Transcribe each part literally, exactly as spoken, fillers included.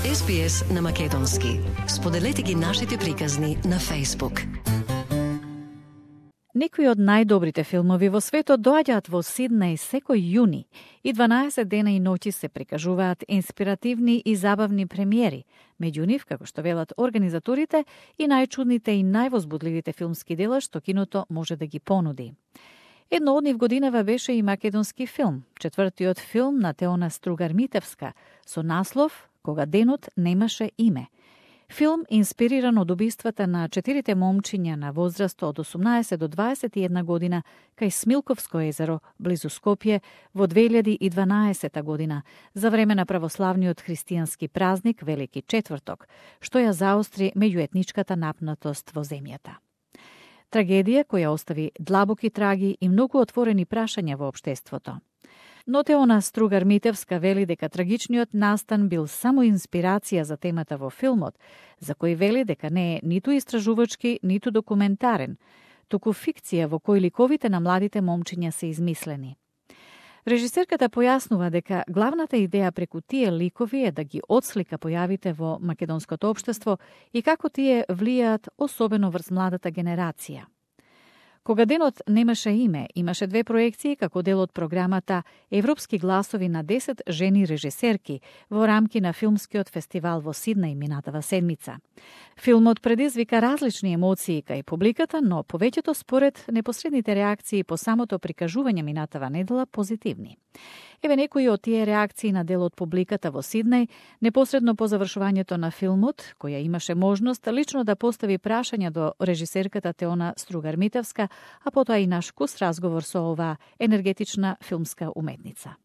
Ес Би Ес на македонски. Споделете ги нашите приказни на Facebook. Некои од најдобрите филмови во светот доаѓаат во Сиднеј секој јуни и дванаесет дена и ноќи се прикажуваат инспиративни и забавни премиери, меѓу нив, како што велат организаторите, и најчудните и највозбудливите филмски дела што киното може да ги понуди. Едно од нив годинава беше и македонски филм, четвртиот филм на Теона Стругар-Митевска, со наслов «Кога денот немаше име». Филм инспириран од убиствата на четирите момчиња на возраст од осумнаесет до дваесет и една година кај Смилковско езеро, близу Скопје, во две илјади и дванаесета година, за време на православниот христијански празник Велики четврток, што ја заостри меѓуетничката напнатост во земјата. Трагедија која остави длабоки траги и многу отворени прашања во општеството. Но Теона Стругар-Митевска вели дека трагичниот настан бил само инспирација за темата во филмот, за кој вели дека не е ниту истражувачки, ниту документарен, туку фикција во кој ликовите на младите момчиња се измислени. Режисерката појаснува дека главната идеја преку тие ликови е да ги отслика појавите во македонското општество и како тие влијаат особено врз младата генерација. Кога денот немаше име, имаше две проекции како дел од програмата Европски гласови на десет жени режисерки во рамки на филмскиот фестивал во Сиднеј минатава седмица. Филмот предизвика различни емоции кај публиката, но повеќето според непосредните реакции по самото прикажување минатава недела позитивни. Еве некои од тие реакции на дел од публиката во Сиднеј, непосредно по завршувањето на филмот, која имаше можност лично да постави прашања до режисерката Теона Стругар-Митевска, а потоа и наш кус разговор со оваа енергетична филмска уметница.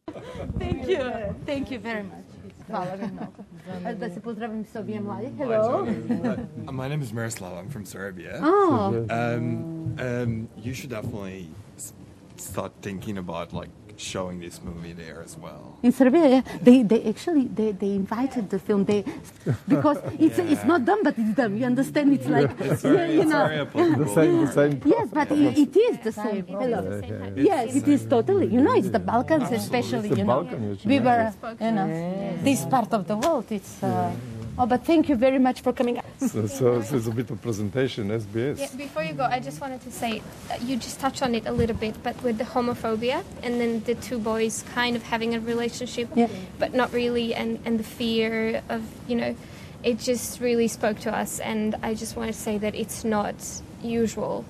Thank you. Thank you very much. Hvala ви mnogo. Da se pozdravim sa obje mladi. Hello. Uh, my name is Miroslav. I'm from Serbia. Oh. Um, um, you should definitely s- start thinking about like showing this movie there as well. In Serbia, yeah, they they actually they, they invited the film they because it's Yeah. it's not done but it's done. You understand? It's like It's yeah, very, you it's know. very applicable. The same, the same. Yes, but it, it is the same. Hello. Yes, it is totally. You know, it's the Balkans, especially. It's the You know, Balkan, you we know. were, you know, this part of the world. It's. Uh, oh, but thank you very much for coming. So, so, so it's a bit of presentation, S B S. Yeah, before you go, I just wanted to say, uh, you just touched on it a little bit, but with the homophobia and then the two boys kind of having a relationship, Yeah. but not really, and, and the fear of, you know, it just really spoke to us, and I just want to say that it's not usual.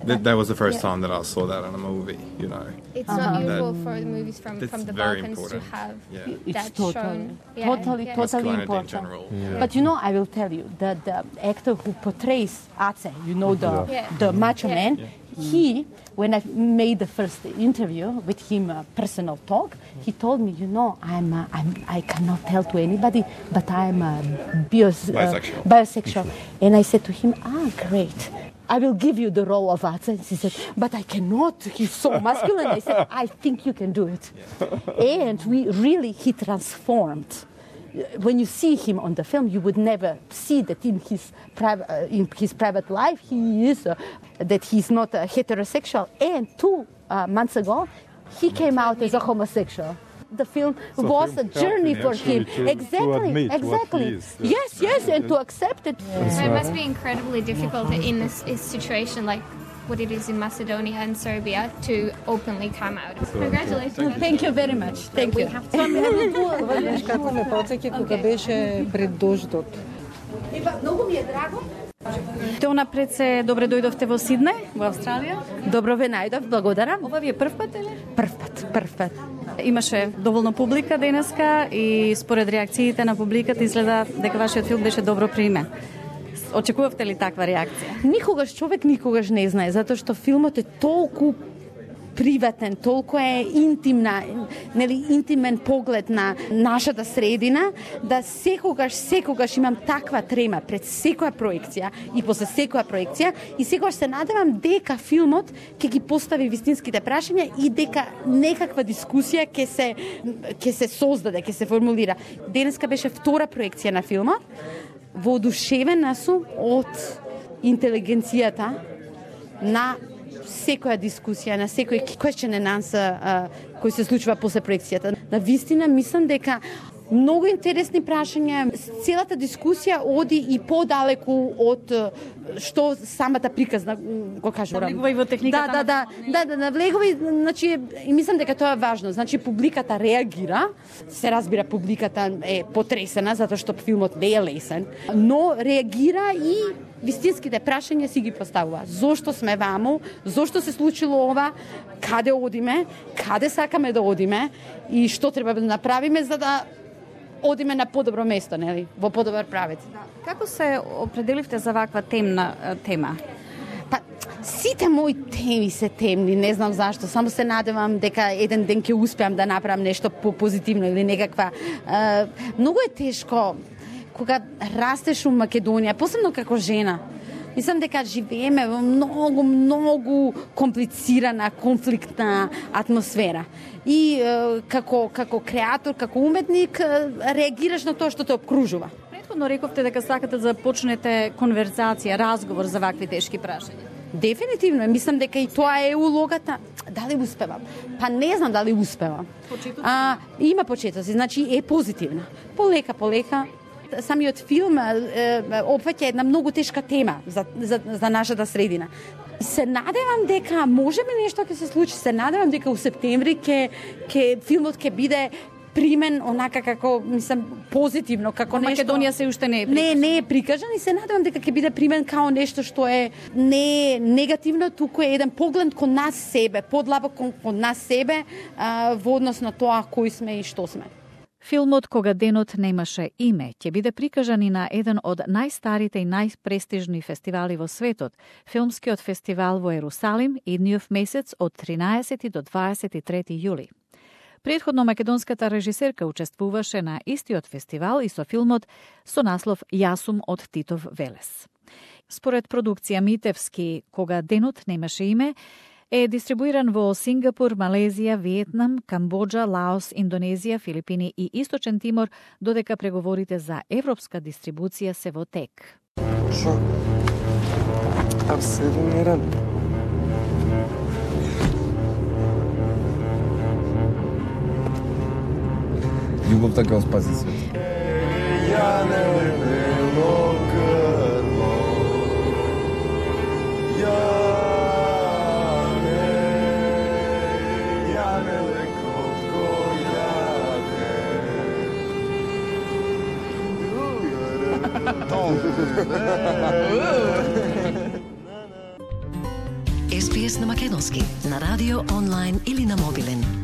That, that was the first Yeah. time that I saw that in a movie, you know. It's Uh-huh. not usual That- for the movies from, That's from the very Balkans important. to have Yeah. It's that totally, shown. Yeah, totally, yeah. totally Masculinity in important. general. But you know, I will tell you that the actor who portrays Ace, you know, the Yeah. the macho Yeah. man, he, when I made the first interview with him, a personal talk, he told me, you know, I'm, uh, I'm I cannot tell to anybody, but I'm a bios, uh, Bisexual. bisexual. And I said to him, ah, great. I will give you the role of Ace. And he said, but I cannot. He's so masculine. I said, I think you can do it. And we really, he transformed. When you see him on the film, you would never see that in his private uh, in his private life he is uh, that he's not uh, heterosexual. And two uh, months ago, he came out as a homosexual. The film So was film a journey helping for actually him. to- to exactly, admit what exactly. he is. Yes, yes, and to accept it. So it must be incredibly difficult in this, this situation like what it is in Macedonia and Serbia to openly come out. Congratulations. Thank you very much. Thank you. Знаеш како ме потсеќа кога беше пред дождот. Много ми е драго. Теона, пред се добре дојдовте во Сиднеј, во Австралија. Добро ве најдов, благодарам. Ова ви е прв пат, или? Прв пат, прв пат. Имаше доволно публика денеска и според реакциите на публиката изгледа дека вашиот филм беше добро примен. Очекувавте ли таква реакција? Никогаш човек никогаш не знае, затоа што филмот е толку приватен, толку е интимна, нели интимен поглед на нашата средина, да секогаш, секогаш имам таква трема пред секоја проекција и после секоја проекција и секогаш се надевам дека филмот ќе ги постави вистинските прашања и дека некаква дискусија ќе се ќе се создаде, ќе се формулира. Денеска беше втора проекција на филмот. Воодушевена сум од интелигенцијата на секоја дискусија, на секој question and answer uh, кој се случува после проекцијата. На вистина мислам дека Многу интересни прашања. Целата дискусија оди и подалеку од што самата приказна го кажувам. Навлегува и во техниката. Да, да, да, да, да, навлегува и значи и мислам дека тоа е важно. Значи публиката реагира, се разбира публиката е потресена затоа што филмот не е лесен, но реагира и вистинските прашања си ги поставува. Зошто сме ваму? Зошто се случило ова? Каде одиме? Каде сакаме да одиме? И што треба да направиме за да одиме на подобро место, нели? Во подобар правец. Како се определивте за ваква темна тема? Па, сите мои теми се темни, не знам зашто, само се надевам дека еден ден ќе успеам да направам нешто по-позитивно или некаква... Е, многу е тешко кога растеш у Македонија, посебно како жена. Мислам дека живееме во многу, многу комплицирана, конфликтна атмосфера. И е, како, како креатор, како уметник, реагираш на тоа што те обкружува. Претходно рековте дека сакате да започнете конверзација, разговор за вакви тешки прашања. Дефинитивно, мислам дека и тоа е улогата. Дали успевам? Па не знам дали успевам. А, има почетоци, значи е позитивна. Полека, полека. Самиот филм опфаќа една многу тешка тема за, за, за нашата средина. Се надевам дека можеби нешто ќе се случи, се надевам дека у септември ќе ќе филмот ќе биде примен онака како, мислам, позитивно, како Во нешто... Македонија се уште не е прикажан. Не, не е прикажан и се надевам дека ќе биде примен као нешто што е не негативно, туку е еден поглед кон нас себе, подлабоко кон, кон нас себе, а, во однос на тоа кои сме и што сме. Филмот Кога денот немаше име ќе биде прикажан и на еден од најстарите и најпрестижни фестивали во светот, Филмскиот фестивал во Ерусалим, идниот месец од тринаесети до дваесет и трети јули. Претходно македонската режисерка учествуваше на истиот фестивал и со филмот со наслов Јасум од Титов Велес. Според продукција Митевски Кога денот немаше име, е дистрибуиран во Сингапур, Малезија, Виетнам, Камбоџа, Лаос, Индонезија, Филипини и Источен Тимор, додека преговорите за европска дистрибуција се во тек. Шо? Абсолютно мирен. Љубовта ќе спаси свет. Ја не вело грмо. Ја Ес Би Ес на македонски, на радио, онлайн или на мобилен.